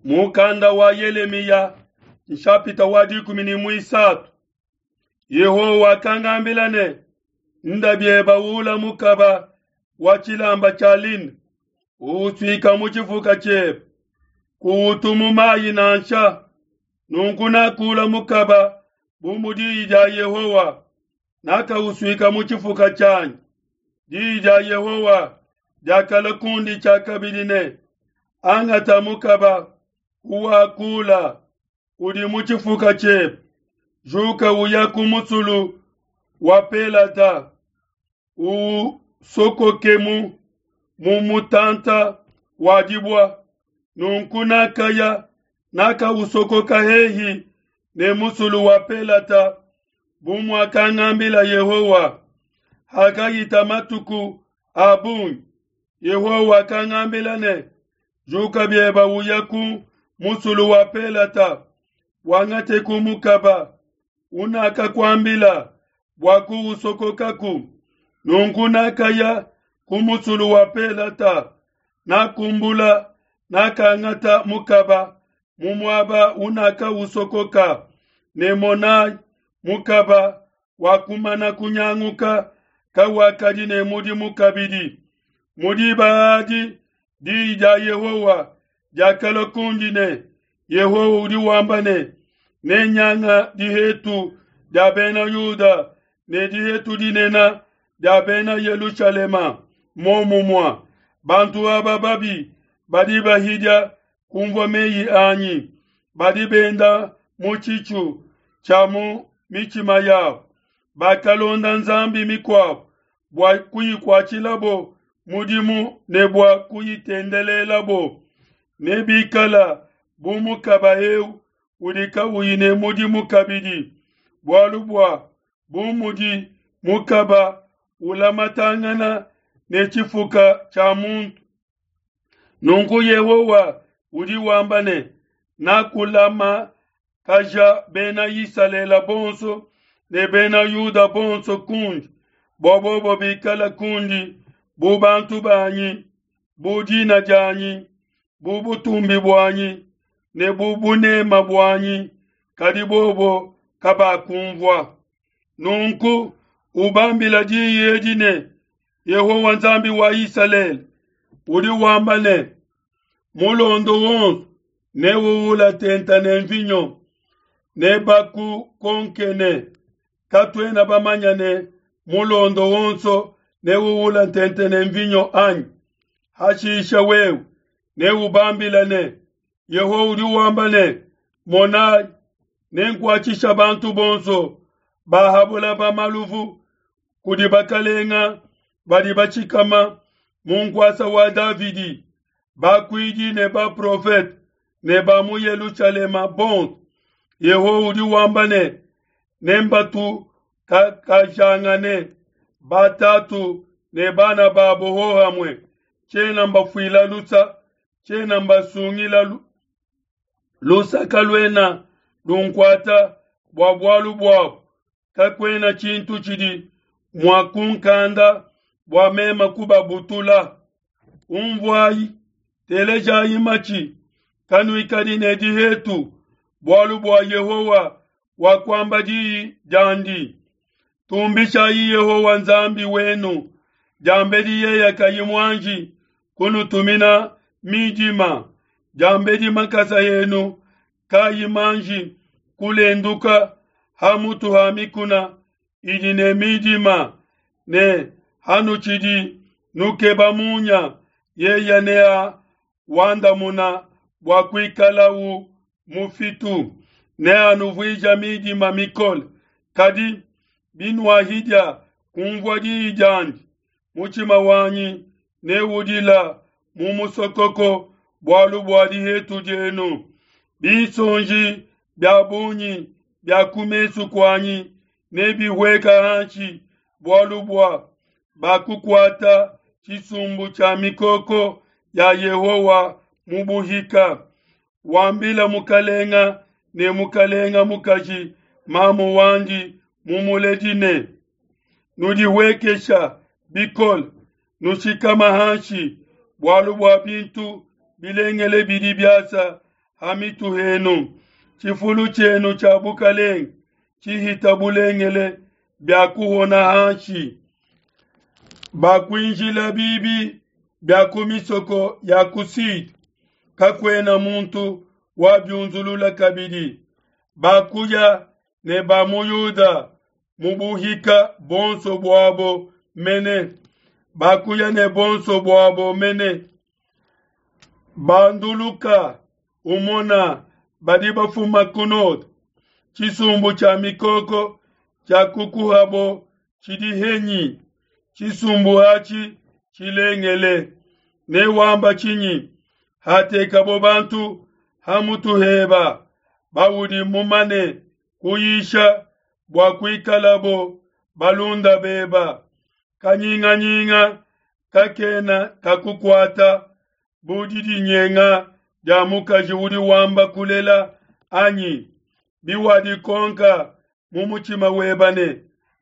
Mukanda wa Yelemiya nshapita wa 13. Yehowa wakangambila ne, Nda bieba ula mukaba wa tshilamba tshia line, uusuika mu tshifuka tshiebe, kuutu mu mayi nansha. Nunku nakula mukaba bu mu diyi dia Yehowa, nakausuika mu tshifuka tshianyi. Diyi dia Yehowa diakalua kundi tshiakabidi ne, Angata mukaba uwakula udi mu tshifuka tshiebe, juka uya ku musulu wa Pelata, uwusokokemu mu mutanta wa dibua. Nunku nakaya, nakawusokoka hehi ne musulu wa Pelata, bu muakangambila Yehowa. Hakahita matuku a bungi, Yehowa wakangambila ne, Juka bieba uya ku musulu wa Pelata, wangate ku mukaba unakakuambila bua kuusokokaku. Nunku nakaya ku musulu wa Pelata, nakumbula, nakangata mukaba mu muaba unakausokoka, ne monai, mukaba wakumana kunyanguka, kawakadi ne mudimu kabidi. Mu diba adi diyi dia Yehowa diakalua kundi ne, Yehowa udi wamba ne, Nenyanga dihetu dia Bena Yuda ne dihetu dinene dia Bena Yelushalema momumue. Bantu aba babi badi bahidia kumvua meyi anyi, badi benda mu tshitshu tshia mu mitshima yabo, bakalonda nzambi mikuabo bua kuyikuatshilabo mudimu ne bua kuyitendelelabo. Nebikala bu mukaba eu udi kauyi ne mudimu kabidi, bualu bua bu mudi mukaba ulamatangana ne tshifuka tshia muntu. Nunku Yehowa udi wamba ne, Nakulamakaja Bena Isalele bonso ne Bena Yuda bonso kundi, bua bobo bikale kundi bu bantu banyi, bu dina dianyi, bu butumbi buanyi ne bu bunema buanyi, kadi bobo kabakumvua. Nunku ubambila diyi edi ne, Yehowa Nzambi wa Isalele udi wamba ne, Mulondo wonso newuwula tenta ne mvinyo, nebakukonke ne, Katuena bamanya ne mulondo wonso newuwula tente ne mvinyo anyi? Hashisha wewe neubambile ne, Yehowa udi wamba ne, Monai, nenkuatshisha bantu bonso ba ha bulaba maluvu kudi bakalenga badi batshikama mu nkuasa wa Davidi, bakuidi ne baprofete ne ba mu Yelushalema bonso. Yehowa udi wamba ne, Nembatukakajangane batatu ne bana babo hohamue, tshiena mbafuila lusa, tshiena mbasungila lusa kaluena lunkuata bua bualu buabo. Kakuena tshintu tshidi mua kunkanda bua meme kubabutula. Unvuai, telejai matshi, kanuikadi ne dihetu, bualu bua Yehowa wakuamba diyi diandi. Tumbishai Yehowa Nzambi wenu, diambedi yeye kayi muanji kunutumina midima, diambedi makasa enu kayi manji kulenduka ha mutu ha mikuna idi ne midima, ne hanutshidi nukeba munya, yeye neawandamuna bua kuikalau mufitu, neanuvuija midima mikole. Kadi binuahidia kunvua diyi diandi, mutshima wanyi neudila mu musokoko bualu bua dihetu dienu. Binsonji bia bungi bia ku mesu kuanyi nebihueka hanshi bualu bua bakukuata tshisumbu tshia mikoko ya Yehowa mu buhika. Wambila mukalenga ne mukalenga mukaji mamu wandi mumuledi ne, Nudihuekesha bikole, nushikama hanshi, bualu bua bintu bilengele bidi biasa. ha mitu henu. Tshifulu tshienu tshia bukalenge tshihita bulengele biakuhona hanshi. Bakuinjila bibi bia ku misoko ya ku Sud, kakuena muntu wabiunzulula kabidi. Bakuya ne ba mu Yuda mu buhika bonso buabo mene, bakuya ne bonso buabo mene. Banduluka umona badi bafuma ku node, tshisumbu tshia mikoko tshia kukuhabo tshidi henyi? Tshisumbu atshi tshilengele. Newamba tshinyi hatekabo bantu ha mutu heba baudi mumane kuyisha bua kuikalabo balunda beba? Kanyinganyinga kakena kakukuata bu didinyenga dia mukaji udi wamba kulela anyi? Biwadikonka mu mutshima weba ne,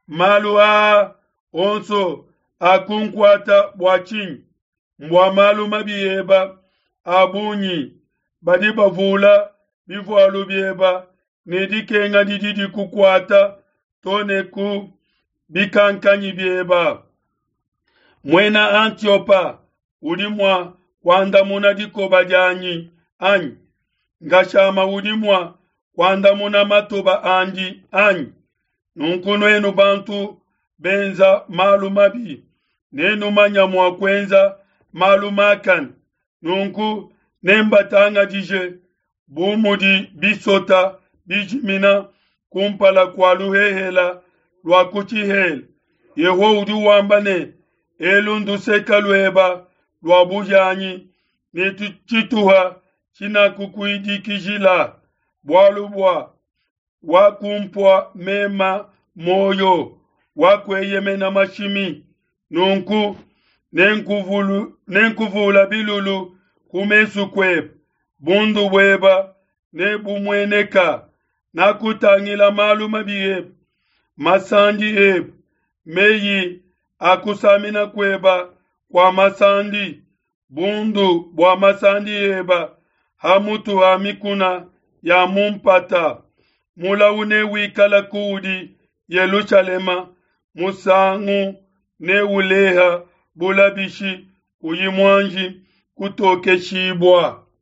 malu aa onso akunkuata bua tshinyi? Mbua malu mabi eba a bungi, badi bavula bivualu bieba ne dikenga didi dikukuata to ne ku bikankanyi bieba. Muena Antiopa udi mua kuandamuna dikoba dianyi anyi? Ngashama udi mua kuandamuna matoba andi anyi? Nunku nuenu bantu benza malu mabi, nenumanya mua kuenza malu makane. Nunku nembatangadije bu mudi bisota bijimina kumpala kua luhehela lua ku tshihela. Yehowa udi wamba ne, elu nduseka lueba lua buhianyi ne tshituha tshinakukuidikijila, bualu bua wakumpua mema muoyo, wakueyemena mashimi. Nunku nenkuvula bilulu ku mesu kuebe, bundu bueba nebumueneka. Nakutangila malu mabi ebe, masandi ebe, meyi a kusamina kueba kua masandi, bundu bua masandi eba ha mutu ha mikuna ya mu mpata. Mulau newikala kuudi Yelushalema, musangu neuleha bulabishi kuyi muanji kutokeshibua.